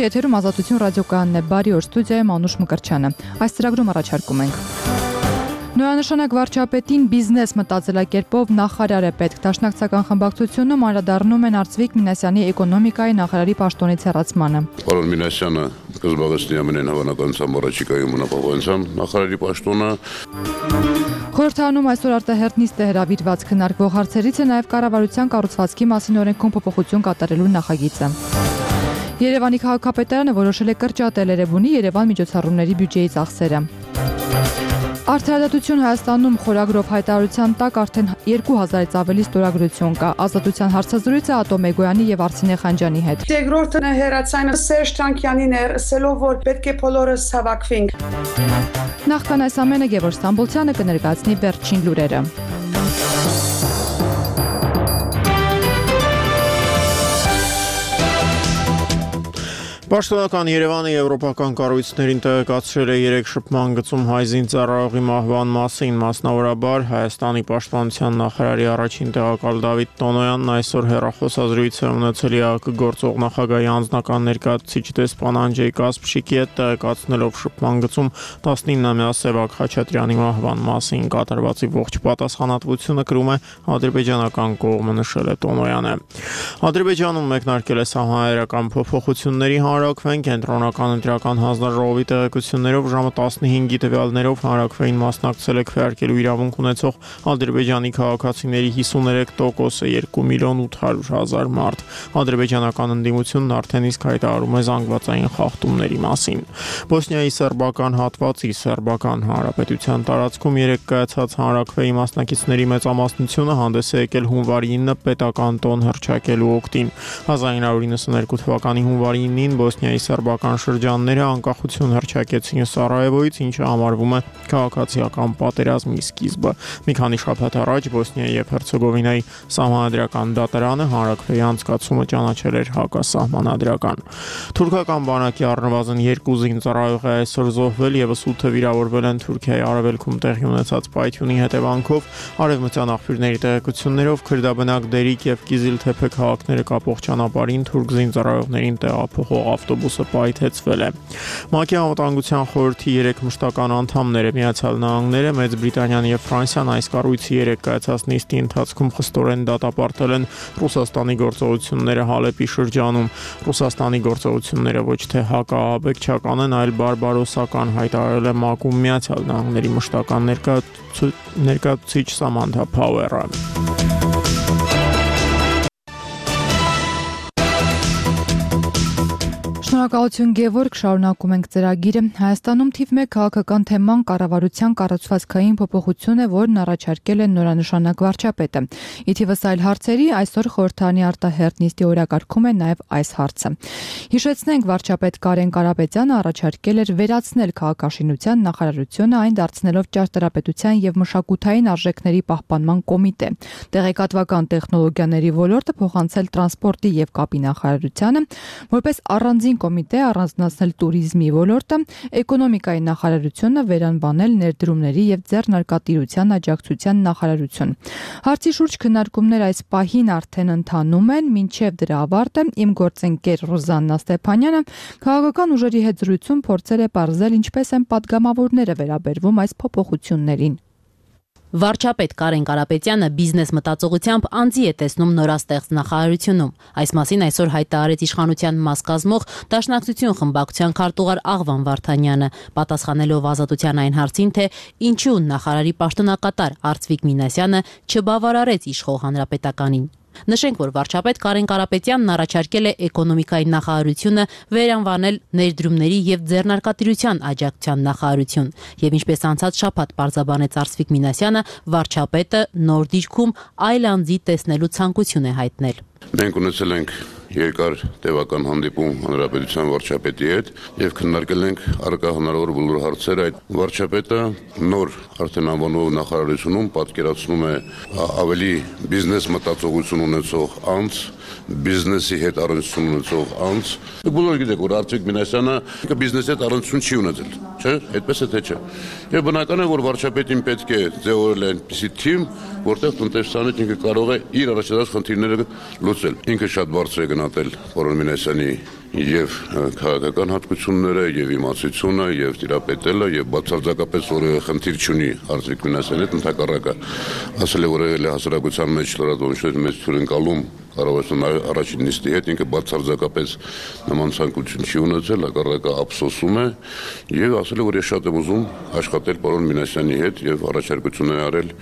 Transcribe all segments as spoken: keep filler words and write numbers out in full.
եթերում Ազատություն ռադիոկայանն է, բարի օր, ստուդիայում Անուշ Մկրտչյանը։ Այս ծրագրում առաջարկում ենք նորանշանակ վարչապետին բիզնես մտածելակերպով նախարար է պետք։ Դաշնակցական խմբակցությունում անդրադառնում են Արծվիկ Մինասյանի էկոնոմիկայի նախարարի պաշտոնից հեռացմանը։ Պարոն Մինասյանը կզբաղեցնի ամենայն հավանականությամբ առաջիկայում նախապահովության նախարարի պաշտոնը։ Խորհրդարանում այսօր արտահերթ նիստ է հրավիրված, քննարկվող հարցերից է նաև կառավարության կառուցվածքի մասին օրենքում փոփոխություն կատարելու նախագիծը։ Երևանի քաղաքապետարանը որոշել է կրճատել Էրեբունի Երևան միջոցառումների բյուջեի ծախսերը։ Արդարադատություն Հայաստանում խորագրով հայտարարության տակ արդեն երկու հազարից ավելի ստորագրություն կա։ Ազատության հարցազրույցը Ատոմ Էգոյանի եւ Արսինե Խանջյանի հետ։ Երկրորդը հերացանը Սերժ Թանկյանին էր, ասելով որ պետք է բոլորս հավաքվենք։ Նախքան այս ամենը Գևորգ Ստամբոլցյանը կներկայացնի վերջին լուրերը։ Պաշտոնական Երևանը եվրոպական կառույցներին տեղեկացրել է երեք շփման գծում հայ զինծառայողի մահվան մասին, մասնավորաբար Հայաստանի պաշտպանության նախարարի առաջին տեղակալ Դավիթ Տոնոյանն այսօր հեռախոսազրույց է ունեցել ԵԱԿ գործող նախագահի անձնական ներկայացուցիչ դեսպան Անջեյ Կասպշիկի հետ, տեղեկացնելով շփման գծում տասնինամյա Սևակ Խաչատրյանի մահվան մասին։ Կատարվածի ողջ պատասխանատվությունը կրում է ադրբեջանական կողմը, նշել է Տոնոյանը։ Ադրբեջանում մեկնարկել է սահմանադրական փոփոխությունների Հանրաքվեն կենտրոնական ընտրական հանձնաժողովի տեղեկություններով ժամը տասնհինգի տվյալներով հանրաքվեին մասնակցել է քվեարկելու իրավունք ունեցող ադրբեջանի քաղաքացիների հիսուներեք տոկոսը երկու միլիոն ութ հարյուր հազար մարդ։ Ադրբեջանական ընդդիմությունն արդեն իսկ հայտարարում է զանգվածային խախտումների մասին։ Բոսնիայի սերբական հատվածի սերբական հանրապետության տարածքում երեք կայացած հանրաքվեի մասնակիցների մեծամասնությունը հանդես է եկել հունվարի ինը պետական տոն հռչակելու օգտին։ հազար ինը հարյուր նվաթ թվականի հունվարի ինին Բոսնիայի սերբական շրջանները անկախություն հռչակեցին Սարայևոյից, ինչը համարվում է քաղաքացիական պատերազմի սկիզբը։ Մի քանի շաբաթ առաջ Բոսնիայի եւ Հերցեգովինայի սահմանադրական դատարանը հանրաքվեի անցկացումը ճանաչել էր հակասահմանադրական։ Թուրքական բանակի առնվազն երկու զինծառայող է այսօր զոհվել, եւս ութը վիրավորվել են Թուրքիայի արևելքում տեղի ունեցած պայթյունի հետևանքով։ Արևմտյան աղբյուրների տեղեկություններով քրդաբնակ Դերիկ եւ Կիզիլթեփե քաղաքները կապող ճանապարհին թուրք զինծառայողներին տեղափոխող ավտոբուսը պայթեցվել է։ ՄԱԿ-ի անվտանգության խորհրդի երեք մշտական անդամները Միացյալ Նահանգները, Մեծ Բրիտանիան եւ Ֆրանսիան այս կառույցի երեք կայացած նիստի ընթացքում խստորեն դատապարտել են Ռուսաստանի գործողությունները Հալեպի շրջանում։ Ռուսաստանի գործողությունները ոչ թե հակաահաբեկչական են, այլ բարբարոսական, հայտարարել է ՄԱԿ-ում Միացյալ Նահանգների մշտական ներկայացուցիչ Սամանթա Փաուերը։ Շնորհակալություն Գևորգ, շարունակում ենք ծրագիրը։ Հայաստանում թիվ մեկ քաղաքական թեման կառավարության կառուցվածքային փոփոխություն է, որն առաջարկել է նորանշանակ վարչապետը։ Ի թիվս այլ հարցերի այսօր խորհրդարանի արտահերթ նիստի օրակարգում է նաև այս հարցը։ Հիշեցնենք, վարչապետ Կարեն Կարապետյանը առաջարկել էր վերացնել քաղաքաշինության նախարարությունը, այն դարձնելով ճարտարապետության եւ մշակութային արժեքների պահպանման կոմիտե։ Տեղեկատվական տեխնոլոգիաների ոլորտը փոխանցել տրանսպորտի եւ կապի նախարարությանը, որպես առանձին կոմիտե առանձնացնել туриզմի ոլորտը, էկոնոմիկայի նախարարությունը վերանվանել ներդրումների եւ ձեռնարկատիրության աջակցության նախարարություն։ Հարցի շուրջ քննարկումներ այս պահին արդեն ընթանում են, մինչեւ դրա ավարտը իմ գործընկեր Ռոզաննա Ստեփանյանը քաղաքական ուժերի հետ զրույցում փորձել է պարզել ինչպես են պատգամավորները վերաբերվում այս փոփոխություններին։ Վարչապետ Կարեն Կարապետյանը բիզնես մտածողությամբ անձի է տեսնում նորաստեղծ նախարարությունում։ Այս մասին այսօր հայտարարեց իշխանության մաս կազմող Դաշնակցություն խմբակցության քարտուղար Աղվան Վարդանյանը, պատասխանելով Ազատության այն հարցին, թե ինչու նախարարի պաշտոնակատար Արծվիկ Մինասյանը չբավարարեց իշխող հանրապետականին։ Նշենք, որ վարչապետ Կարեն Կարապետյանն առաջարկել է էկոնոմիկայի նախարարությունը վերանվանել ներդրումների եւ ձեռնարկատիրության աջակցության նախարարություն, եւ ինչպես անցած շաբաթ պարզաբանեց Արծվիկ Մինասյանը, վարչապետը նոր դիրքում այլ անձի տեսնելու ցանկություն է հայտնել։ Մենք ունեցել ենք երկար տևական հանդիպում հանրապետության վարչապետի հետ եւ քննարկել ենք առկա հնարավոր բոլոր հարցերը։ Այդ վարչապետը նոր արդեն անվանող նախարարությունում պատկերացնում է ավելի բիզնես մտածողություն ունեցող անձ, բիզնեսի հետ առնչություն ունեցող անձ։ Բոլորը գիտեք, որ Արծվիկ Մինասյանը բիզնեսի հետ առնչություն չի ունեցել, չէ՞, այդպես է թե չէ։ Եվ բնական է, որ վարչապետին պետք է ձևավորել այնպիսի թիմ, որտեղ տնտեսչականից ինքը կարող է իր առաջադարձ խնդիրները լուծել։ Ինքը շատ բարձր է գնահատել պարոն Մինասյանի եւ քաղաքական հատկությունները, եւ իմացությունը, եւ տիրապետելը, եւ բացարձակապես որևէ խնդիր չունի Արծվիկ Մինասյանի հետ, ընդհակառակը ասել է, որ եղել է հասարակության մեջ լրատվամիջոցների մեծ հյուրընկալում կառավարության առաջին նիստի հետ, ինքը բացարձակապես նման ցանկություն չի ունեցել, հակառակը ափսոսում է եւ ասել է, որ ես շատ եմ ուզում աշխատել պարոն Մինասյանի հետ եւ առաջարկություններ արել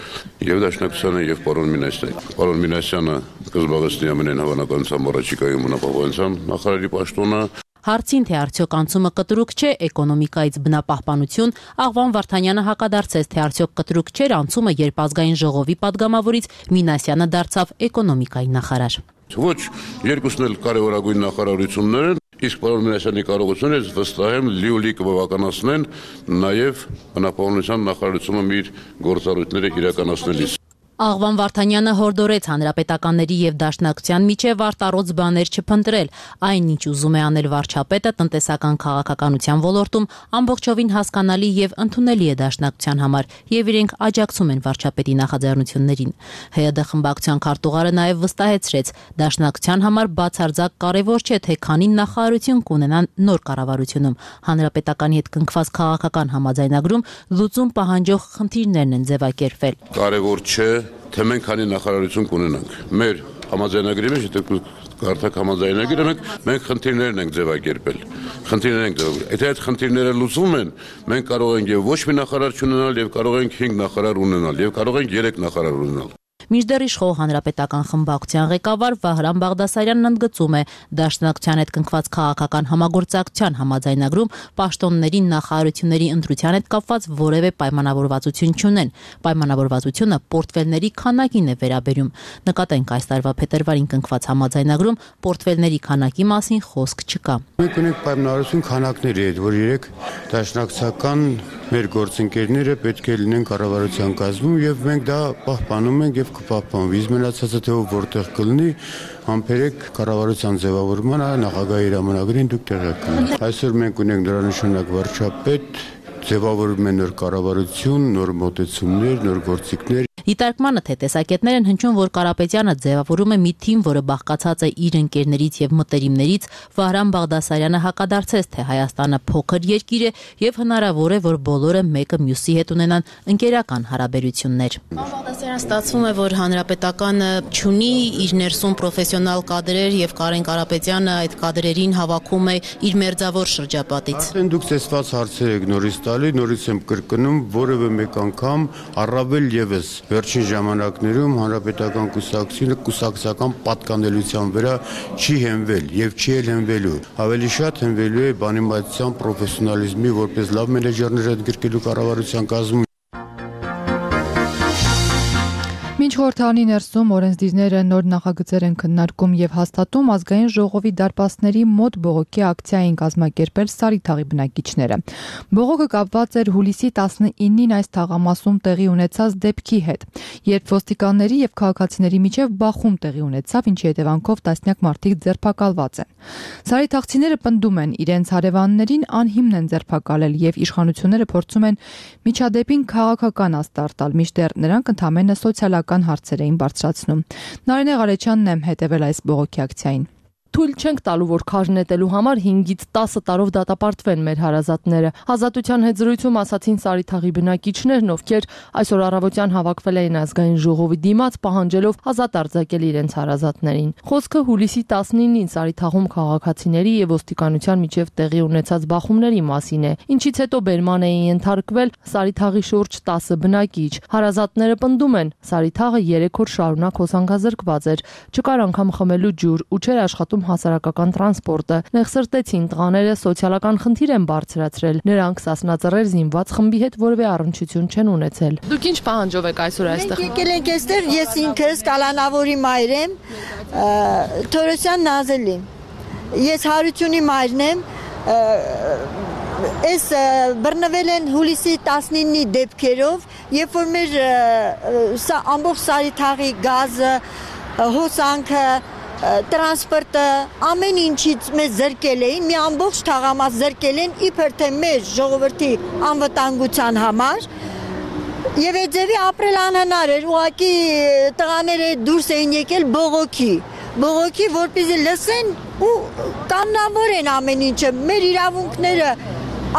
եւ Դաշնակցությանը եւ պարոն Մինասյանի։ Պարոն Մինասյանը կզբաղեցնի ամենայն հավանականությամբ առաջիկայում բնապահպանության նախարարի պաշտոնը։ Հարցին, թե արդյոք անցումը կտրուկ չէ էկոնոմիկայից բնապահպանություն, Աղվան Վարդանյանը հակադարձեց, թե արդյոք կտրուկ չէր անցումը, երբ ազգային ժողովի падգամավորից Մինասյանը դարձավ էկոնոմիկայի նախարար։ Ոչ, երկուսն էլ կարևորագույն նախարարություններ են, իսկ պարոն Մինասյանի կարողությունները վստահ եմ լիոլի կբավականացնեն նաև բնապահպանության նախարարությունը իր գործառույթները իրականացնելիս։ Աղվան Վարդանյանը հորդորեց հանրապետականների եւ Դաշնակցության միջև արտառոց բաներ չփնտրել, այնինչ ուզում է անել վարչապետը տնտեսական քաղաքականության ոլորտում ամբողջովին հասկանալի եւ ընդունելի է Դաշնակցության համար եւ իրենք աջակցում են վարչապետի նախաձեռնություններին։ ՀՅԴ խմբակցության քարտուղարը նաեւ վստահեցրեց, Դաշնակցության համար բացարձակ կարեւոր չէ, թե քանի նախարարություն կունենան նոր կառավարությունում։ Հանրապետականի հետ կնքված քաղաքական համաձայնագրում լուծում պահանջող խնդիրներն են ձևակերպվել։ Կարևոր չէ, թե մենք քանի նախարարություն կունենանք։ Մեր համաձայնագրի մեջ, եթե կարդաք համաձայնագիրը, մենք մենք խնդիրներն ենք ձևակերպել։ Խնդիրներ ենք ձևակերպել։ Եթե այդ խնդիրները լուծվում են, մենք կարող ենք եւ ոչ մի նախարար չունենալ, եւ կարող ենք հինգ նախարար ունենալ, եւ կարող ենք երեք նախարար ունենալ։ Մինչդեռ իշխող հանրապետական խմբակցության ղեկավար Վահրամ Բաղդասարյանն ընդգծում է, Դաշնակցության հետ կնքված քաղաքական համագործակցության համաձայնագրում պաշտոնների նախարարությունների ընտրության հետ կապված որևէ պայմանավորվածություն չունեն։ Պայմանավորվածությունը պորտֆելների քանակին է վերաբերում։ Նկատենք, այս տարվա փետրվարին կնքված համաձայնագրում պորտֆելների քանակի մասին խոսք չկա։ Մենք ունենք պայմանավորություն քանակների հետ, որ երեք դաշնակցական մեր գործընկերները պետք է լինեն կառավարության կազմում եւ մենք դա պահպանում ենք եւ կպահպանվի։ Իսկ մնացածը թե որտեղ կլինի, համբերեք կառավարության ձևավորմանը նախագահի հրամանագրին դուք տեղյակ կլինեք։ Այսօր մենք ունենք դրանշանակ վարչապետ, ձևավորում են նոր կառավարություն, նոր մոտեցումներ, նոր գործիքներ։ Դիտարկմանը թե տեսակետներ են հնչում, որ Կարապետյանը ձևավորում է մի թիմ, որը բաղկացած է իր ընկերներից եւ մտերիմներից, Վահրամ Բաղդասարյանը հակադարձեց, թե Հայաստանը փոքր երկիր է եւ հնարավոր է, որ բոլորը մեկը մյուսի հետ ունենան ընկերական հարաբերություններ։ Բաղդասարյանը ստացվում է, որ հանրապետականը չունի իր ներսում պրոֆեսիոնալ կադրեր եւ Կարեն Կարապետյանը այդ կադրերին հավաքում է իր մերձավոր շրջապատից։ Արդեն դուք ցեսված հարցեր եք նորից տալի, նորից եմ կրկնում, որևէ մեկ անգամ առավել եւս վերջին ժամանակներում հանրապետական կուսակցությունը կուսակցական պատկանելիության վրա չի հենվել եւ չի էլ հենվելու։ Ավելի շատ հենվելու է բանիմացիան, պրոֆեսիոնալիզմի, որպես լավ մենեջերներ հետ գրկելու կառավարության կազմում։ Մինչ խորհրդարանի ներսում օրենսդիրները նոր նախագծեր են քննարկում եւ հաստատում, ազգային ժողովի դարպասների մոտ բողոքի ակցիա են կազմակերպել Սարիթաղի բնակիչները։ Բողոքը կապված էր հուլիսի տասնինին այս թաղամասում տեղի ունեցած դեպքի հետ, երբ ոստիկանների եւ քաղաքացիների միջև բախում տեղի ունեցավ, ինչի հետևանքով տասնյակ մարդիկ ձերբակալված են։ Սարիթաղցիները պնդում են, իրենց հարևաններին անհիմն են ձերբակալել եւ իշխանությունները փորձում են միջադեպին քաղաքական աստար տալ, մինչդեռ նրանք ընդամենը սոցիալական հարցեր էին բարձրացնում։ Նարինե Ղարեչյանն է հետևել այս բողոքի ակցիային։ Թույլ չենք տալու, որ քար նետելու համար հինգից տասը տարով դատապարտվեն մեր հարազատները։ Ազատության հետ զրույցում ասացին Սարիթաղի բնակիչներն, ովքեր այսօր առավոտյան հավաքվել էին ազգային ժողովի դիմաց, պահանջելով ազատ արձակել իրենց հարազատներին։ Խոսքը հուլիսի տասնինին Սարիթաղում քաղաքացիների եւ ոստիկանության միջև տեղի ունեցած բախումների մասին է, ինչից հետո բերման էին ենթարկվել Սարիթաղի շուրջ տասը բնակիչ։ Հարազատները պնդում են, Սարիթաղը երեք օր շարունակ հոսանքազրկված էր, չկար անգամ խմելու ջուր ու չէր աշխատում հասարակական տրանսպորտը։ Նեղսրտեցին տղաները սոցիալական խնդիր են բարձրացրել։ Նրանք Սասնաձեռեր զինված խմբի հետ որևէ առնչություն չեն ունեցել։ Դուք ինչ պահանջով եք այսօր այստեղ։ Մենք եկել ենք այստեղ, ես ինքս Կալանավորի մայր եմ, Թորոսյան Նազելի։ Ես Հարությունի մայրն եմ, Այս բռնվել են հուլիսի տասնինի դեպքերով, երբ որ մեր սա ամբողջ Սարիթաղի գազը, հոսանքը, տրանսպորտը, ամեն ինչից մեզ զրկել էին, մի ամբողջ թաղամաս զրկել են, իբր թե մեր ժողովրդի անվտանգության համար, եւ այդ ձևի ապրել անհնար էր, ուղղակի տղաները դուրս էին եկել բողոքի, բողոքի, որպեսզի լսեն ու կանոնավոր ամեն ինչը, մեր իրավունքները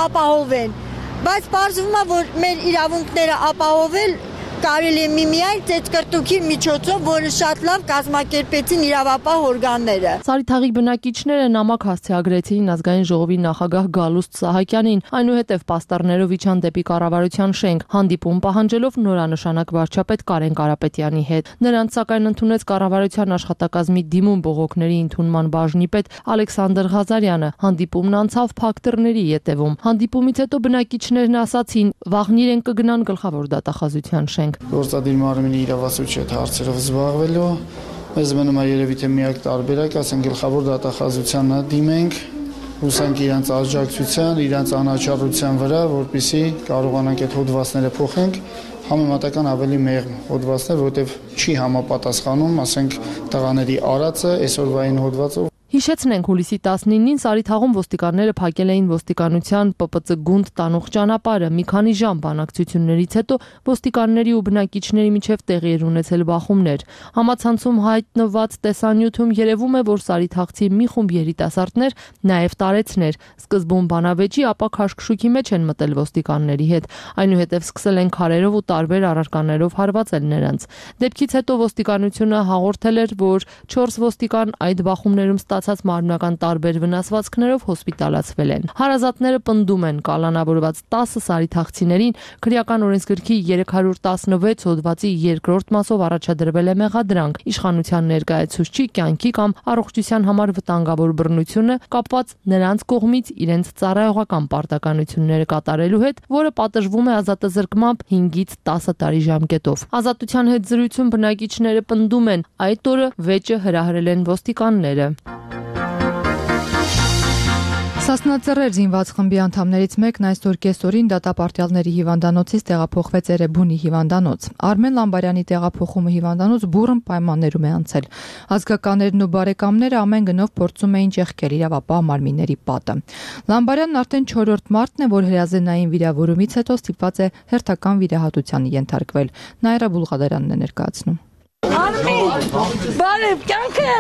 ապահովեն, բայց պարզվում է, որ մեր իրավունքները ապահովել կարելի է միմիայն ծեծկրտուքի միջոցով, որը շատ լավ կազմակերպեցին իրավապահ օրգանները։ Սարիթաղի բնակիչները նամակ հասցեագրեցին ազգային ժողովի նախագահ Գալուստ Սահակյանին, այնուհետև պաստառներով իջան դեպի կառավարության շենք, հանդիպում պահանջելով նորանշանակ վարչապետ Կարեն Կարապետյանի հետ։ Նրանց սակայն ընդունեց կառավարության աշխատակազմի դիմում բողոքների ընդունման բաժնի պետ Ալեքսանդր Ղազարյանը։ Հանդիպումն անցավ փակ դռների ետևում։ Հանդիպումից հետո բնակիչներն ասացին, վաղնիր են կգնան գլխավոր դատախազության շենք։ Գործադիր մարմինի իրավասու չէ հարցերով զբաղվելու, մեզ մնում է երևի թե միակ տարբերակ, ասենք գլխավոր դատախազությանը դիմենք, հուսանք իրանց աջակցության, իրանց անաչառության վրա, որպեսզի կարողանանք այդ հոդվածները փոխենք, համեմատական ավելի մեղմ հոդվածներ, որտեղ չի համապատասխանում, ասենք տղաների արածը այսօրվային հոդվածով։ Հիշեցնենք, հուլիսի տասնինին Սարիթաղում ոստիկանները փակել էին ոստիկանության Պ Պ Ծ գունդ տանող ճանապարհը։ Մի քանի ժամ բանակցություններից հետո ոստիկանների ու բնակիչների միջև տեղի էր ունեցել բախումներ։ Համացանցում հայտնված տեսանյութում երևում է, որ սարիթաղցի մի խումբ երիտասարդներ նաև տարեցներ սկզբում բանավեճի, ապա քաշքշուկի մեջ են մտել ոստիկանների հետ, այնուհետև սկսել են քարերով ու տարբեր առարկաներով հարվածել նրանց։ Դեպքից հետո ոստիկանությունը հաղորդել էր, որ չորս ոստիկան այդ բախումներում ստացած մարմնական տարբեր վնասվածքներով հոսպիտալացվել են։ Հարազատները պնդում են կալանավորված տասը սարիթաղցիներին քրեական օրենսգրքի երեք հարյուր տասնվեց հոդվածի երկրորդ մասով առաջադրվել է մեղադրանք իշխանության ներկայացուցչի կյանքի կամ առողջության համար վտանգավոր բռնությունը կապված նրանց կողմից իրենց ծառայողական պարտականությունները կատարելու հետ, որը պատժվում է ազատազրկմամբ հինգից տասը տարի ժամկետով։ Ազատության հետ զրույցում բնակիչները պնդում են, այդ օրը վեճը հրահրել են ոստիկանները։ Սասնաձեռեր զինված խմբի անդամներից մեկն այսօր կեսօրին դատապարտյալների հիվանդանոցից տեղափոխվեց Էրեբունի հիվանդանոց։ Արմեն Լամբարյանի տեղափոխումը հիվանդանոց բուռն պայմաններում է անցել։ Ազգականներն ու բարեկամները ամեն գնով փորձում էին ճեղքել իրավապահ մարմինների պատը։ Լամբարյանն արդեն չորրորդ մարտն է, որ հրազենային վիրավորումից հետո ստիպված է հերթական վիրահատության ենթարկվել։ Նայրա Բուլղադարյանն է ներկայացնում։ Բարև, կյանքը։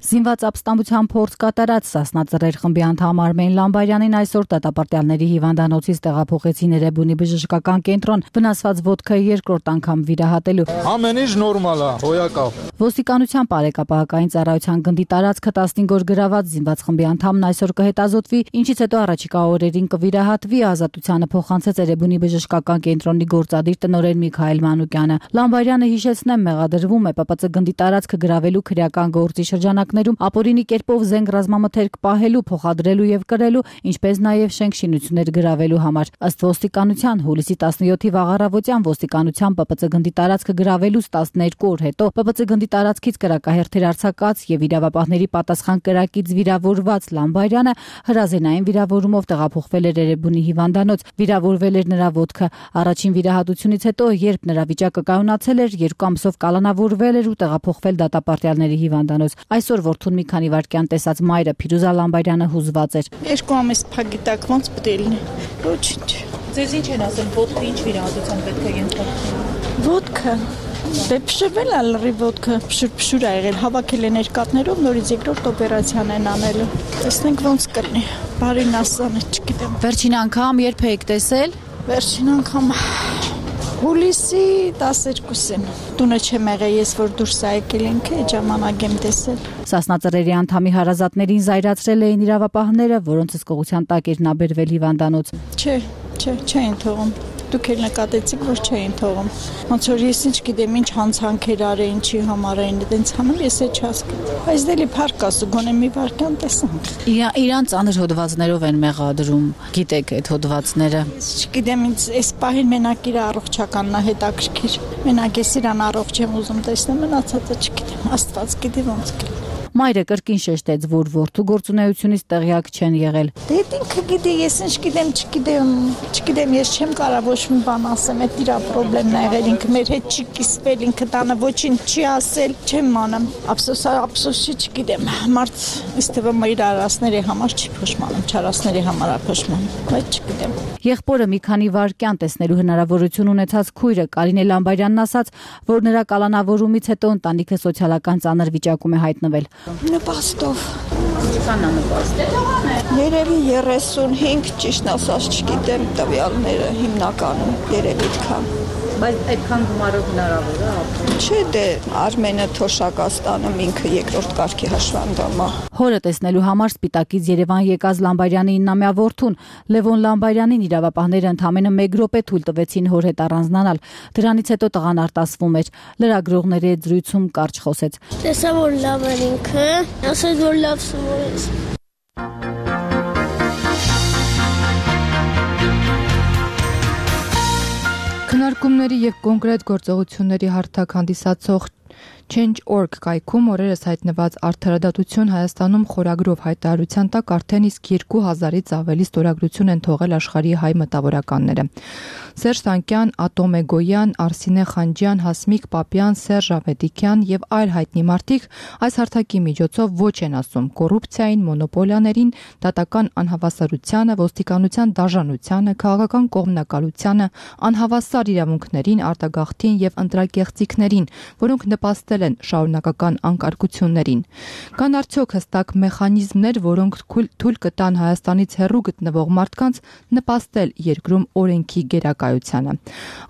Զինված ապստամբության փորձ կատարած Սասնաձեռեր խմբի անդամ Արմեն Լամբարյանին այսօր դատապարտյալների հիվանդանոցից տեղափոխեցին Էրեբունի բժշկական կենտրոն վնասված ոտքը երկրորդ անգամ վիրահատելու։ Ամեն ինչ նորմալ է, հոյակավ։ Ոստիկանության բարեկապահական ծառայության գնդի տարածքը տասնհինգ օր գրաված զինված խմբի անդամն այսօր կհետազոտվի, ինչից հետո առաջիկա օրերին կվիրահատվի, ազատությանը փոխանցեց Էրեբունի բժշկական կենտրոնի գործադիր տնօրեն Միքայել Մանուկյանը։ Լամբարյանը հիշեցնեմ մեղադրվում է Պ Պ Ծ գնդի տարածքը գրավելու քրեական գործի շրջանակներում ապօրինի կերպով զենք ռազմամթերք պահելու, փոխադրելու եւ կրելու, ինչպես նաեւ շենք-շինություններ գրավելու համար։ Ըստ ոստիկանության հուլիսի տասնյոթի վաղառավոտյան ոստիկանության Պ Պ Ծ գնդի տարածքը գրավելուց տասներկու օր հետո Պ Պ Ծ գնդի տարածքից կրակահերթեր արձակած եւ իրավապահների պատասխան կրակից վիրավորված Լամբարյանը հրազենային վիրավորումով տեղափոխվել էր Էրեբունի հիվանդանոց։ Վիրավորվել էր նրա ոտքը։ Առաջին վիրահատությունից հետո, երբ նրա վիճակը կայունացել էր, երկու ամսով կալանավորվել էր ու տեղափոխվել դատապարտյալների հիվանդանոց։ Այսօր որդուն մի քանի վայրկյան տեսած մայրը Փիրուզա Լամբարյանը հուզված էր։ Երկու ամիս փակի տակ ոնց պետք է լինի։ Ոչինչ։ Ձեզ ինչ են ասել, ոտքը ինչ վիրահատության պետք է ենթարկվի։ Ոտքը դե փշրվել է լրի ոտքը, փշուր-փշուր ա եղել, հավաքել են երկաթներով, նորից երկրորդ օպերացիան են անելու։ Տեսնենք ոնց կլինի։ Բարին ասանը չգիտեմ։ Վերջին անգամ երբ եք տեսել։ Վերջին անգամ հուլիսի տասներկուսին։ Տունը չեմ եղել, ես որ դուրս ա եկել ենք, այդ ժամանակ եմ տեսել։ Սասնաձեռերի անդամի հարազատներին զայրացրել էին իրավապահները, որոնց հսկողության տակ էր նա բերվել հիվանդանոց։ Չէ, չէ, չէին թողում։ Դուք էլ նկատեցիք, որ չէին թողում։ Ոնց որ ես ինչ գիտեմ, ինչ հանցանքեր արեին, ինչի համար էին այդպես անում, ես էլ չհասկանում։ Այս դելի փառք ասու, գոնե մի վարքան տեսանք։ Իրան ծանր հոդվածներով են մեղադրում, գիտեք այդ հոդվածները։ Ես չգիտեմ, ինձ այս պահին մենակ իր առողջականն է հետաքրքիր։ Մենակ ես իրան առողջ եմ ուզում տեսնել, մնացածը չգիտեմ, Աստված գիտի ոնց կլինի։ Մայրը կրկին շեշտեց, որ որդու գործունեությունից տեղյակ չեն եղել։ Դե ինքը գիտի, ես ինչ գիտեմ, չգիտեմ, չգիտեմ, ես չեմ կարող ոչ մի բան ասեմ, այդ իր խնդիրն ա եղել, ինքը մեր հետ չի կիսվել, ինքը տանը ոչինչ չի ասել, չեմ անում։ Ափսոս, ափսոսի չգիտեմ, մարդ ըստ թվում իր արասների համար չի փոշմանում, չարասների համար է փոշմանում, բայց չգիտեմ։ Եղբորը մի քանի վայրկյան տեսնելու հնարավորություն ունեցած քույրը Կարինե Լամբարյանն ասաց, որ նրա կալանավորումից հետո ընտանիքը սոցիալական ծանր վիճակում է հայտնվել։ Նպաստով։ Ինչքան է նպաստել։ Երևի երեսունհինգ, ճիշտ ասած չգիտեմ տվյալները հիմնականում, երևի այդքան։ Բայց այդքան գումարով հնարավոր է ապրել։ Չէ, դե Արմենը Թոշակաստանում ինքը երկրորդ կարգի հաշվանդամ է։ Հորը տեսնելու համար Սպիտակից Երևան եկած Լամբարյանի իննամյա որդուն Լևոն Լամբարյանին իրավապահները ընդամենը մեկ րոպե թույլ տվեցին հոր հետ առանձնանալ։ Դրանից հետո տղան արտասվում էր։ Լրագրողների հետ զրույցում կարճ խոսեց։ Տեսա որ լավ էր ինքը, ասաց որ լավ սովորեց։ Քննարկումների եւ կոնկրետ գործողությունների հարթակ հանդիսացող Change dot org կայքում օրերս հայտնված Արդարադատություն Հայաստանում խորագրով հայտարարության տակ արդեն իսկ երկու հազարից ավելի ստորագրություն են թողել աշխարհի հայ մտավորականները։ Սերժ Սանկյան, Ատոմ Էգոյան, Արսինե Խանջյան, Հասմիկ Պապյան, Սերժ Ավետիքյան եւ այլ հայտնի մարդիկ այս հարթակի միջոցով ոչ են ասում կոռուպցիային, մոնոպոլիաներին, դատական անհավասարությանը, ոստիկանության դաժանությանը, քաղաքական կողմնակալությանը, անհավասար իրավունքներին, արտագաղթին եւ ընտրակեղծիքներին, որոնք նպաստել են շարունակական անկարգություններին։ Կան արդյոք հստակ մեխանիզմներ, որոնք թույլ կտան Հայաստանից հեռու գտնվող մարդկանց նպաստել երկրում օրենքի գերակայությանը։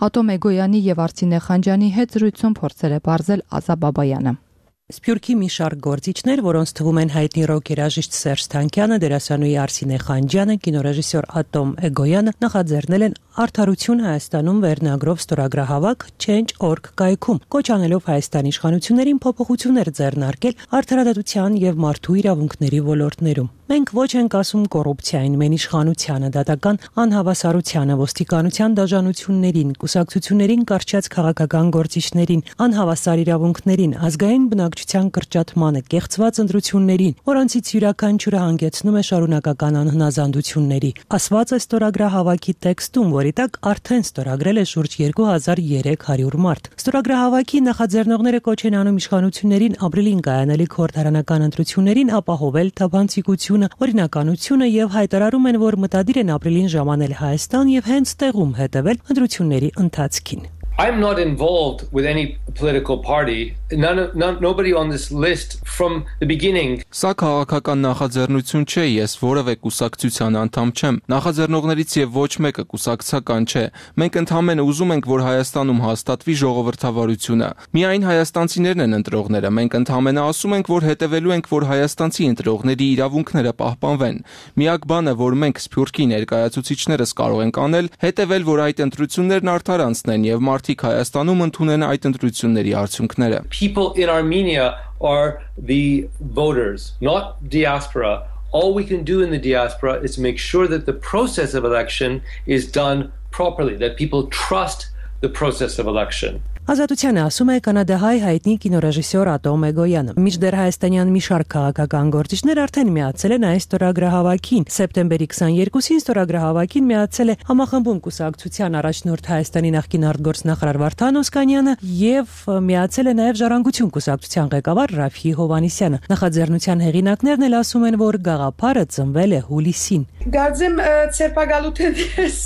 Ատոմ Էգոյանի եւ Արսինե Խանջյանի հետ զրույցում փորձել է բարձել Ազա Բաբայանը։ Սփյուռքի մի շարք գործիչներ, որոնց թվում են հայտնի ռոք երաժիշտ Սերժ Թանկյանը, դերասանուհի Արսինե Խանջյանը, կինոռեժիսոր Ատոմ Էգոյանը նախաձեռնել են Արդարություն Հայաստանում վերնագրով ստորագրահավաք Change dot org կայքում, կոչ անելով Հայաստանի իշխանություններին փոփոխություններ ձեռնարկել արդարադատության եւ մարդու իրավունքների ոլորտներում։ Մենք ոչ ենք ասում կոռուպցիային, մեն իշխանությանը, դատական անհավասարությանը, ոստիկանության դաժանություններին, կուսակցություններին կարճած քաղաքական գործիչներին, անհավասար իրավունքներին, ազգային բնակչության կրճատմանը, կեղծված ընտրություններին, որոնցից յուրաքանչյուրը հանգեցնում է շարունակական անհնազանդությունների։ Ասված է ստորագրահավաքի տեքստում, որի տակ արդեն ստորագրել է շուրջ երկու հազար երեք հարյուր մարդ։ Ստորագրահավաքի նախաձեռնողները կոչ են անում իշխանություններին ապրիլին կայանալիք խորհրդարանական ընտրություններին ապահովել թափանցիկություն, օրինականությունը եւ հայտարարում են, որ մտադիր են ապրիլին ժամանել Հայաստան եւ հենց տեղում հետեւել ընտրությունների ընթացքին։ I'm not involved with any political party. None, of, none, nobody on this list from the beginning. Սա քաղաքական նախաձեռնություն չէ, ես որևէ կուսակցության անդամ չեմ։ Նախաձեռնողներից եւ ոչ մեկը կուսակցական չէ։ Մենք ընդհանրապես ուզում ենք, որ Հայաստանում հաստատվի ժողովրդավարությունը։ Միայն հայաստանցիներն են ընտրողները։ Մենք ընդհանրապես ասում ենք, որ հետևելու ենք, որ հայաստանցի ընտրողների իրավունքները պահպանվեն։ Միակ բանը, որ մենք Սփյուռքի ներկայացուցիչներս կարող ենք անել, հետևել, որ այդ ընտրություններն արդար անցնեն եւ մարդիկ Հայաստանում ընդունեն այդ ընտրությունների արդյունքները։ People in Armenia are the voters, not diaspora. All we can do in the diaspora is make sure that the process of election is done properly, that people trust the process of election. Ազատությանը ասում է կանադահայ հայտնի կինոռեժիսոր Ատոմ Էգոյանը։ Մինչդեռ հայաստանյան մի շարք քաղաքական գործիչներ արդեն միացել են այս ստորագրահավաքին։ Սեպտեմբերի քսաներկուսին ստորագրահավաքին միացել է Համախմբում կուսակցության առաջնորդ Հայաստանի նախկին արտգործնախարար Վարդան Օսկանյանը եւ միացել է նաեւ Ժառանգություն կուսակցության ղեկավար Ռաֆի Հովհաննիսյանը։ Նախաձեռնության հեղինակներն էլ ասում են, որ գաղափարը ծնվել է հուլիսին։ Գարձեմ ցերպակալութենից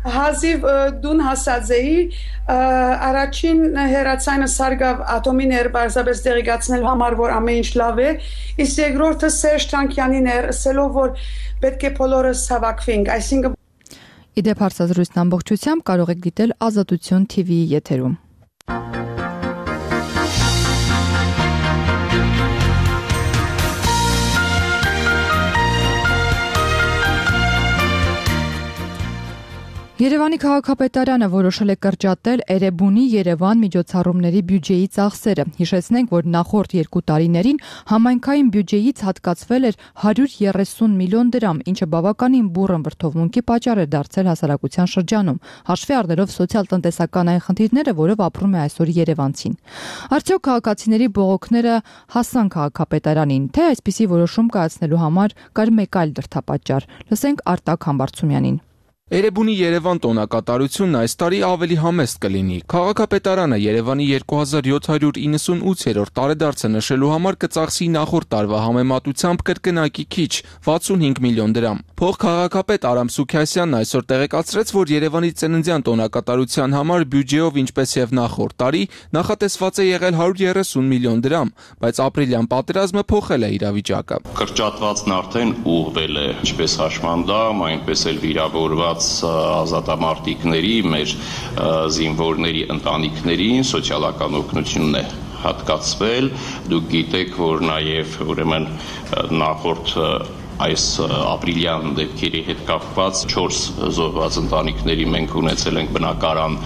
հազիվ դուն հասածեի առաջին հերացանը սարգավ ատոմին էր բարձրապես դեղիգացնել համար որ ամեն ինչ լավ է իսկ երկրորդը Սերժ Թանկյանին էր ասելով որ պետք է բոլորս հավաքվենք այսինքն Իդեպ հարցազրույցն ամբողջությամբ կարող եք դիտել Ազատություն T V-ի եթերում Երևանի քաղաքապետարանը որոշել է կրճատել Էրեբունի Երևան միջոցառումների բյուջեի ծախսերը։ Հիշեցնենք, որ նախորդ երկու տարիներին համայնքային բյուջեից հատկացվել էր հարյուր երեսուն միլիոն դրամ, ինչը բավականին բուռն վրդովմունքի պատճառ էր դարձել հասարակության շրջանում, հաշվի առնելով սոցիալ-տնտեսական այն խնդիրները, որով ապրում է այսօր երևանցին։ Արդյոք քաղաքացիների բողոքները հասան քաղաքապետարանին, թե այսպիսի որոշում կայացնելու համար կար մեկ այլ դրդապատճառ։ Լսենք Արտակ Համբարձումյանին։ Էրեբունի Երևան տոնակատարությունն այս տարի ավելի համեստ կլինի։ Քաղաքապետարանը Երևանի երկու հազար յոթ հարյուր իննսունութերորդ տարեդարձը նշելու համար կծախսի նախորդ տարվա համեմատությամբ կրկնակի քիչ վաթսունհինգ միլիոն դրամ։ Փոխքաղաքապետ Արամ Սուքիասյանն այսօր տեղեկացրեց, որ Երևանի ծննդյան տոնակատարության համար բյուջեով, ինչպես եւ նախորդ տարի, նախատեսված է եղել հարյուր երեսուն միլիոն դրամ, բայց ապրիլյան պատերազմը փոխել է իրավիճակը։ Կրճատվածն արդեն ուղղվել է, ինչպես հաշմանդամ, այնպես էլ վիրավորված ազատամարտիկների, մեր զինվորների ընտանիքներին սոցիալական օգնությունն է հատկացվել։ Դուք գիտեք, որ նաև ուրեմն նախորդ այս ապրիլյան դեպքերի հետ կապված չորս զոհված ընտանիքների մենք ունեցել ենք բնակարան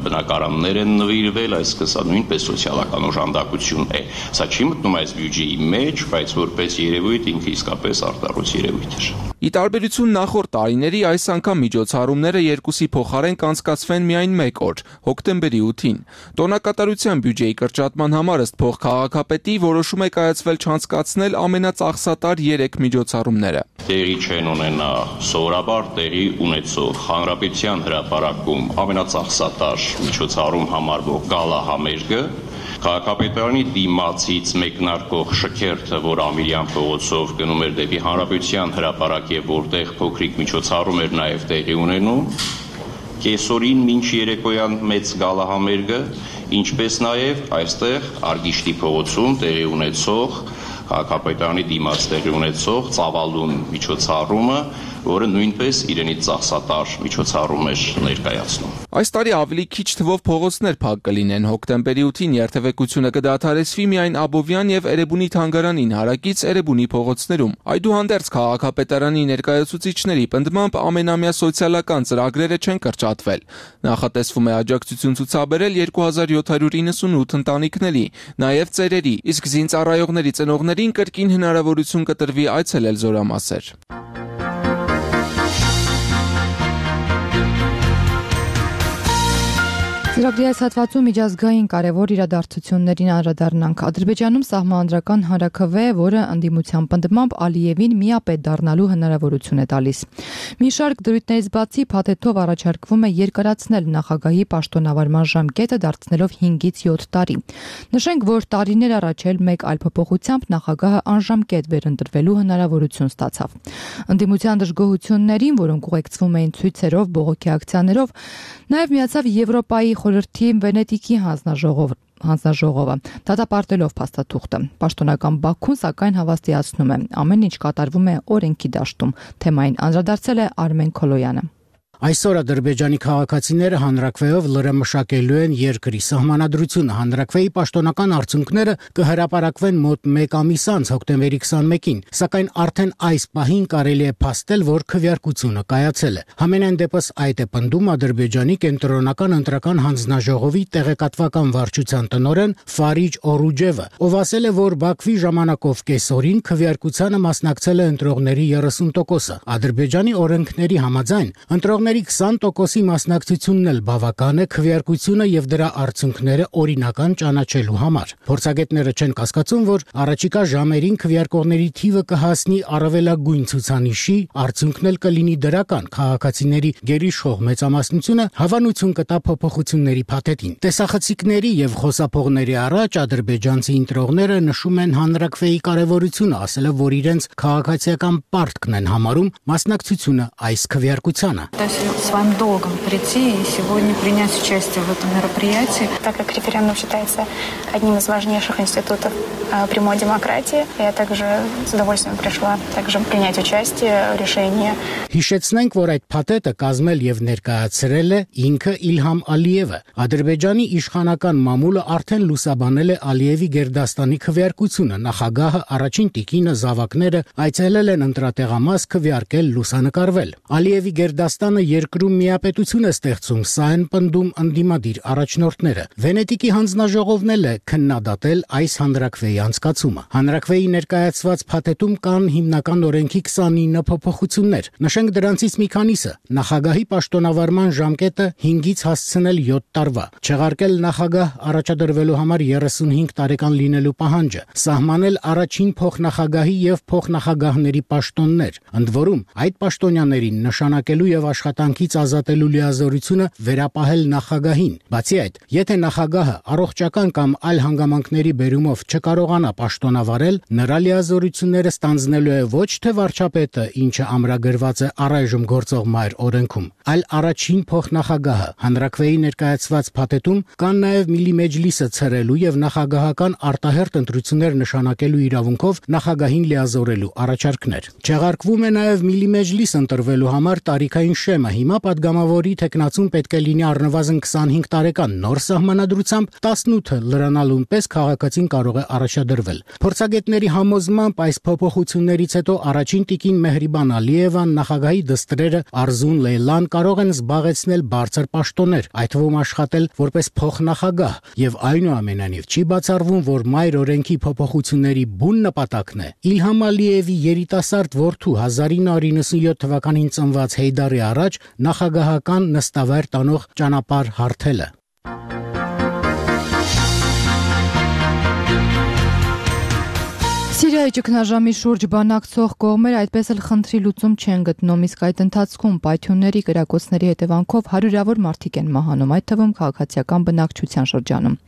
բնակարաններ են նվիրվել, այսինքն սա նույնպես սոցիալական օժանդակություն է։ Սա չի մտնում այս բյուջեի մեջ, բայց որպես երևույթ ինքը իսկապես արտարոց երևույթ է։ Ի տարբերություն նախորդ տարիների, այս անգամ միջոցառումները երկուսի փոխարեն կանցկացվեն միայն մեկ օր՝ հոկտեմբերի ութին։ Տոնակատարության բյուջեի կրճատման համար ըստ փոխքաղաքապետի որոշում է կայացվել չանցկացնել ամենածախսատար երեք միջոցառումները։ Տեղի չեն ունենա սովորաբար տեղի ունեցող հանրապետության հրապարակում ամենածախսատար միջոցառում համարվող գալա համերգը, քաղաքապետարանի դիմացից մեկնարկող շքերթը, որ Ամիրյան փողոցով գնում էր դեպի հանրապետության հրապարակ եւ որտեղ փոքրիկ միջոցառում էր նաեւ տեղի ունենում, կեսօրին մինչ երեկոյան մեծ գալահամերգը, ինչպես նաեւ այստեղ Արգիշտի փողոցում տեղի ունեցող քաղաքապետարանի դիմաց տեղի ունեցող ծավալուն միջոցառումը, որը նույնպես իրենից ծախսատար միջոցառում էր ներկայացնում։ Այս տարի ավելի քիչ թվով փողոցներ փակ կլինեն։ Հոկտեմբերի ութին երթևեկությունը կդադարեցվի միայն Աբովյան եւ Էրեբունի թանգարանին հարակից Էրեբունի փողոցներում։ Այդուհանդերձ քաղաքապետարանի ներկայացուցիչների պնդմամբ ամենամյա սոցիալական ծրագրերը չեն կրճատվել։ Նախատեսվում է աջակցություն ցուցաբերել երկու հազար յոթ հարյուր իննսունութ ընտանիքների, նաեւ ծերերի, իսկ զինծառայողների ծնողներին կրկին հնարավորություն կտրվի այցելել զորամասեր։ Ծրագրի այս հատվածում միջազգային կարևոր իրադարձություններին անդրադառնանք։ Ադրբեջանում սահմանադրական հանրաքվե, որը ընդդիմության պնդմամբ Ալիևին միապետ դառնալու հնարավորություն է տալիս։ Մի շարք դրույթներից բացի փաթեթով առաջարկվում է երկարացնել նախագահի պաշտոնավարման ժամկետը, դարձնելով հինգից յոթ տարի։ Նշենք, որ տարիներ առաջ էլ մեկ այլ փոփոխությամբ նախագահը անժամկետ վերընտրվելու հնարավորություն ստացավ։ Ընդդիմության դժգոհություններին, որոնք ուղեկցվում էին ցույցերով, բողոքի ակցիաներով, նաև միացավ Եվրոպայի խորհրդի Վենետիկի հանձնաժողով հանձնաժողովը դատապարտելով փաստաթուղթը։ Պաշտոնական Բաքուն սակայն հավաստիացնում է, ամեն ինչ կատարվում է օրենքի դաշտում։ Թեմային անդրադարձել է Արմեն Քոլոյանը։ Այսօր Ադրբեջանի քաղաքացիները հանրաքվեով լրամշակելու են երկրի սահմանադրությունը։ Հանրաքվեի պաշտոնական արդյունքները կհրապարակվեն մոտ մեկ ամիս անց հոկտեմբերի քսանմեկին, սակայն արդեն այս պահին կարելի է փաստել, որ քվեարկությունը կայացել է։ Համենայն դեպս այդ է պնդում Ադրբեջանի կենտրոնական ընտրական հանձնաժողովի տեղեկատվական վարչության տնօրեն Ֆարիջ Օրուջևը, ով ասել է, որ Բաքվի ժամանակով կեսօրին քվեարկությանը մասնակցել է ընտրողների երեսուն տոկոսը։ Ադրբեջանի օրենքների համաձայն ընտրողների քսան տոկոսի մասնակցությունն էլ բավական է քվեարկությունը եւ դրա արդյունքները օրինական ճանաչելու համար։ Փորձագետները չեն կասկածում, որ առաջիկա ժամերին քվեարկողների թիվը կհասնի առավելագույն ցուցանիշի, արդյունքն էլ կլինի դրական։ Քաղաքացիների գերիշխող մեծամասնությունը հավանություն կտա փոփոխությունների փաթեթին։ Տեսախցիկների եւ խոսափողների առաջ ադրբեջանցի ընտրողները նշում են հանրաքվեի կարեւորությունը, ասելով, որ իրենց քաղաքացիական պարտքն են համարում մասնակցությունը այս քվեարկությանը։ Своим долгом прийти и сегодня принять участие в этом мероприятии. Так как референдум считается одним из важнейших институтов прямой демократии, я также с удовольствием пришла также принять участие в решении. Հիշեցնենք, որ այդ փաթեթը կազմել եւ ներկայացրել է ինքը Իլհամ Ալիևը։ Ադրբեջանի իշխանական մամուլը արդեն լուսաբանել է Ալիևի Գերդաստանի քվեարկությունը։ Նախագահը, առաջին տիկինը, զավակները այցելել են ընտրատեղամաս քվեարկել, լուսանկարվել։ Ալիևի Գերդաստանը երկրում միապետություն է ստեղծում, սա են պնդում ընդդիմադիր առաջնորդները։ Վենետիկի հանձնաժողովն էլ է քննադատել այս հանրաքվեի անցկացումը։ Հանրաքվեի ներկայացված փաթեթում կան հիմնական օրենքի քսանինը փոփոխություններ։ Նշենք դրանցից մի քանիսը՝ նախագահի պաշտոնավարման ժամկետը հինգից հասցնել յոթ տարվա, չեղարկել նախագահ առաջադրվելու համար երեսունհինգ տարեկան լինելու պահանջը, սահմանել առաջին փոխնախագահի եւ փոխնախագահների պաշտոններ, ընդ որում այդ պաշտոնյաներին նշանակելու եւ աշխատանքից ազատելու լիազորությունը վերապահել նախագահին։ Բացի այդ, եթե նախագահը առողջական կամ այլ հանգամանքների բերումով չկարողանա պաշտոնավարել, նրա լիազորությունները ստանձնելու է ոչ թե վարչապետը, ինչը ամրագրված է առայժմ գործող մայր օրենքում, այլ առաջին փոխնախագահը։ Հանրաքվեի ներկայացված փաթեթում կան նաև Միլի Մեջլիսը ցրելու եւ նախագահական արտահերթ ընտրություններ նշանակելու իրավունքով նախագահին լիազորելու առաջարկներ։ Չեղարկվում է նաև Միլի Մեջլիս ընտրվելու համար տարիքային շեմը։ Հիմա падգամավորի թեկնածուն պետք է լինի առնվազն քսանհինգ տարեկան, նոր սահմանադրությամբ տասնութը լրանալուն պես քաղաքացին կարող է առաջադրվել։ Փորձագետների համոզմամբ այս փոփոխություններից հետո առաջին տիկին Մեհրիբան Ալիևան, նախագահի դստրերը Արզուն Լեյլան կարող են զբաղեցնել բարձր պաշտոններ, այդ թվում աշխատել որպես փոխնախագահ, եւ այնուամենայնիվ չի բացառվում, որ մայր օրենքի փոփոխությունների բուն նպատակն է Իլհամ Ալիևի երիտասարդ որդու հազար ինը հարյուր նվաթ թվականին ծնված Հեյդարի առաջ նախագահական նստավայր տանող ճանապարհ հարթելը։ Սիրիայի ճգնաժամի շուրջ բանակցող կողմերը այդպես էլ խնդրի լուծում չեն գտնում, իսկ այդ ընթացքում պայթյունների, կրակոցների հետևանքով հարյուրավոր մարդիկ են մահանում, այդ թվում քաղաքացիական բնակչության շրջանում։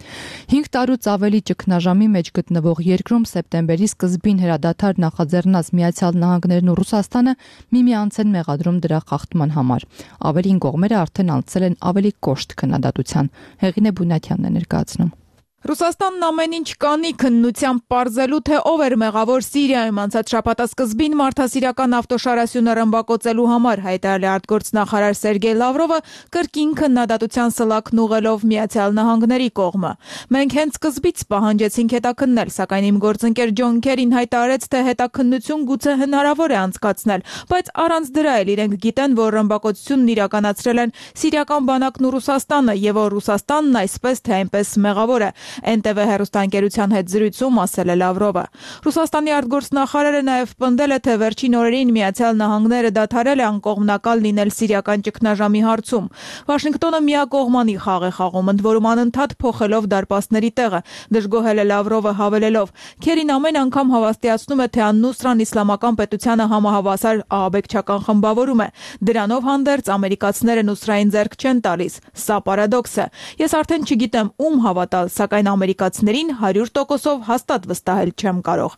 Հինգ տարուց ավելի ճգնաժամի մեջ գտնվող երկրում սեպտեմբերի սկզբին հրադադար նախաձեռնած Միացյալ Նահանգներն ու Ռուսաստանը միմյանց են մեղադրում դրա խախտման համար։ Ավելին կողմերը արդեն անցել են ավելի կոշտ քննադատության։ Հեղինե Բունյաթյանն է ներկայացնում։ Ռուսաստանն ամեն ինչ կանի քննությամբ պարզելու, թե ով էր մեղավոր Սիրիայում անցած շաբաթասկզբին մարդասիրական ավտոշարասյունը ռմբակոծելու համար, հայտարարել է արտգործնախարար Սերգեյ Լավրովը, կրկին քննադատության սլաքն ուղղելով Միացյալ Նահանգների կողմը։ Մենք հենց սկզբից պահանջեցինք հետաքննել, սակայն իմ գործընկեր Ջոն Քերին հայտարարեց, թե հետաքննություն գուցե հնարավոր է անցկացնել, բայց առանց դրա էլ իրենք գիտեն, որ ռմբակոծությունն իրականացրել են սիրիական բանակն ու Ռուսաստանը, եւ որ Ռուսաստանն այսպես թե այնպես մեղավոր է։ Էն տե վե հեռուստաընկերության հետ զրույցում ասել է Լավրովը։ Ռուսաստանի արտգործնախարարը նաև պնդել է, թե վերջին օրերին Միացյալ Նահանգները դադարել է անկողմնակալ լինել սիրիական ճգնաժամի հարցում։ Վաշինգտոնը միակողմանի խաղ է խաղում, ընդ որում անընդհատ փոխելով դարպասների տեղը, դժգոհել է Լավրովը հավելելով. Քերին ամեն անգամ հավաստիացնում է, թե Ան-Նուսրան իսլամական պետությանը համահավասար ահաբեկչական խմբավորում է։ Դրանով հանդերձ ամերիկացիները Նուսրային ձեռք չեն տալիս։ Սա պարադոքս է։ Ես արդեն չգիտեմ ում հավատալ, սակայն ամերիկացիներին հարյուր տոկոսով հաստատ վստահել չեմ կարող։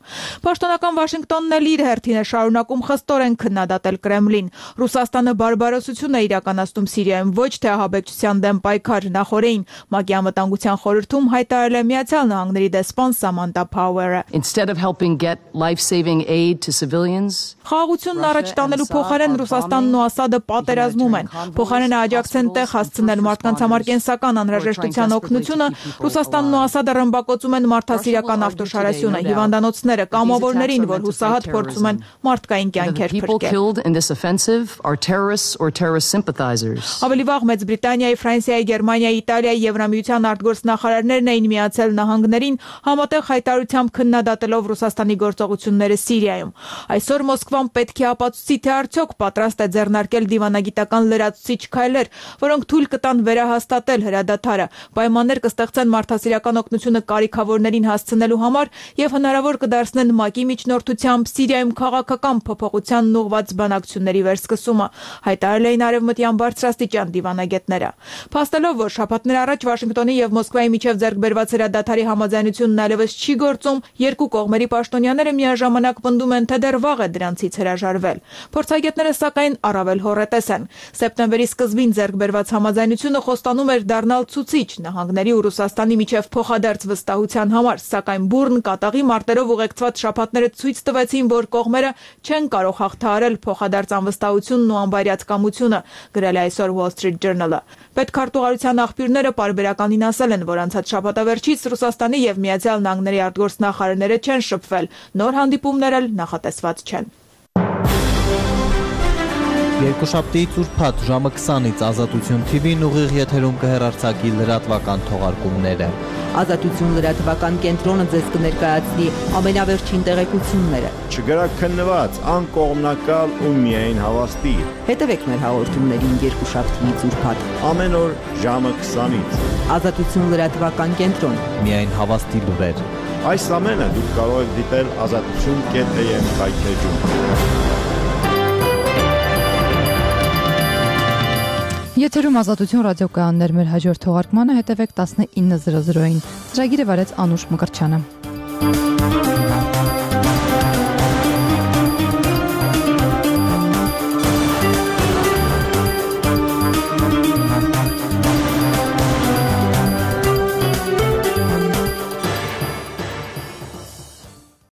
Պաշտոնական Վաշինգտոնն էլ իր հերթին է շարունակում խստորեն քննադատել Կրեմլին։ Ռուսաստանը բարբարոսություն է իրականացնում Սիրիայում, ոչ թե ահաբեկչության դեմ պայքար։ Նախորդին ՄԱԿ-ի անվտանգության խորհրդում հայտարարել է Միացյալ Նահանգների դեսպան Սամանթա Փաուերը։ Խաղաղությունն առաջ տանելու փոխարեն Ռուսաստանն ու Ասադը պատերազմում են։ Փոխարենը աջակցեն տեղ հասցնել մարդկանց համար կենսական անհրաժեշտության օգնությունը, Ռուսաստանն ու Ասադը ռմբակոծում են մարդասիրական ավտոշարասյունը, հիվանդանոցները, կամավորներին, որ հուսահատ փորձում են մարդկային կյանքեր փրկել։ Ավելի վաղ Մեծ Բրիտանիայի, Ֆրանսիայի, Գերմանիայի, Իտալիայի, Եվրամիության արտգործնախարարներն էին Միացյալ Նահանգներին համատեղ հայտարարությամբ քննադատելով Ռուսաստանի գործողությունները Սիրիայում։ Այսօր Մոսկվան պետք է ապացուցի, թե արդյոք պատրաստ է ձեռնարկել դիվանագիտական լրացուցիչ քայլեր, որոնք թույլ կտան վերահաստատել հրադադարը, պայմաններ կստեղծեն մարդասիրական օգնությունը կարիքավորներին հասցնելու համար եւ հնարավոր կդարձնեն ՄԱԿ-ի միջնորդությամբ Սիրիայում քաղաքական փոփոխությանն ուղղված բանակցությունների վերսկսումը, հայտարարել էին արևմտյան բարձրաստիճան դիվանագետները։ Փաստելով, որ շաբաթներ առաջ Վաշինգտոնի եւ Մոսկվայի միջև ձեռքբերված հրադադարի համաձայնությունն այլևս չի գործում, երկու կողմերի պաշտոնյաները միաժամանակ պնդում են, թե դեռ վաղ է դրանցից հրաժարվել։ Փորձագետները սակայն առավել հոռետես են։ Սեպտեմբերի սկզբին ձեռքբերված համաձայնությունը խոստանում էր դառնալ ցուցիչ նահանգների ու Ռուսաստանի միջև փոխադարձ վստահության համար, սակայն բուռն կատաղի մարտերով ուղեկցված շաբաթները ցույց տվեցին, որ կողմերը չեն կարող հաղթահարել փոխադարձ անվստահությունն ու անբարյացկամությունը, գրել է այսօր Wall Street Journal-ը։ Պետքարտուղարության աղբյուրները պարբերականին ասել են, որ անցած շաբաթավերջից Ռուսաստանի եւ Միացյալ Նահանգների արտգործնախարարները չեն շփվել, նոր հանդիպումներ էլ նախատեսված չեն։ Երկուշաբթիից ուրբաթ ժամը քսանից Ազատություն թի վին ուղիղ եթերում կհեռարձակի լրատվական թողարկումները։ Ազատություն լրատվական կենտրոնը ձեզ կներկայացնի ամենավերջին տեղեկությունները։ Չգրաքննված, անկողմնակալ ու միայն հավաստի։ Հետևեք մեր հաղորդումներին երկուշաբթիից ուրբաթ ամեն օր ժամը քսանից։ Ազատություն լրատվական կենտրոն։ Միայն հավաստի լուրեր։ Այս ամենը դուք կարող եք դիտել ազատություն կետ am կայքեջում։ Եթերում Ազատություն ռադիոկայաններ, մեր հաջորդ թողարկմանը հետևեք տասնինը զրո զրոին։ Ծրագիրը վարեց Անուշ Մկրտչյանը։